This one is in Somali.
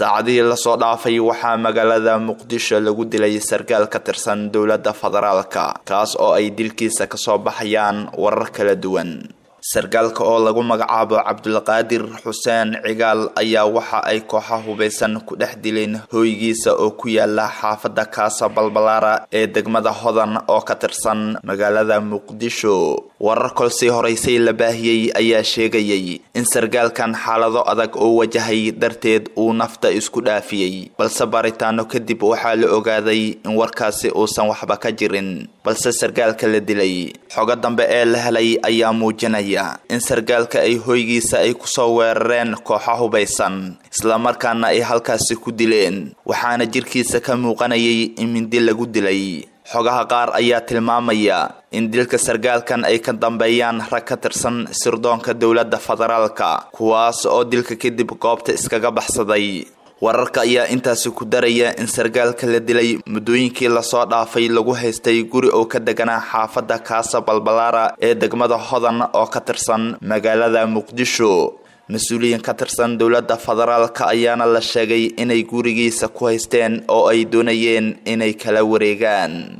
Saacadihii lasoo dhaafay waxaa magaalada Muqdisho lagu dilay sarkaal ka tirsan dowladda federaalka, kaas oo ay dilkiisa kasoo baxayaan warar kala duwan. Sarkaalka oo lagu magacaabo Cabdulqaadir Xuseen Cigaal ayaa waxa ay kooxa hubeysan ku dhex dileen hooygiisa oo ku yaala xaafadda Kaasa Balbalaara ee degmada Hodan oo ka tirsan magaalada Muqdisho. Warar kolsii horeysay la baahiyey ayaa sheegayay in sarkaalkan xaalado adag oo wajahay darteed uu nafta isku dhaafiyey, balse baaritaano kadib waxaa la ogaaday in warkaasi uusan waxba ka jirin. Balse sarkaalka la dilay xogo dambe ee la helay ayaa muujinaya in sarkaalka ay hoygiisa ay kusoo weerareen kooxa hubaysan, islamarkaana ay halkaasi ku dileen, waxaana jirkiisa ka muuqanayay in mindi lagu dilay. Xogaha qaar ayaa tilmaamaya in dilka sarkaalkan ay ka dambeeyaan rag ka tirsan sirdoonka dowladda federaalka, kuwaas oo dilka kadib goobta iskaga baxsaday. Wararka ayaa intaasi ku daraya in sarkaalka la dilay muddooyinkii lasoo dhaafay lagu haystay guri oo ka deganaa xaafadda Kaasa Balbalaara ee degmada Hodan oo ka tirsan magaalada Muqdisho. Mas-uuliyiin ka tirsan dowladda federaalka ayaana la sheegay inay gurigiisa ku haysteen oo ay doonayeen inay kala wareegaan.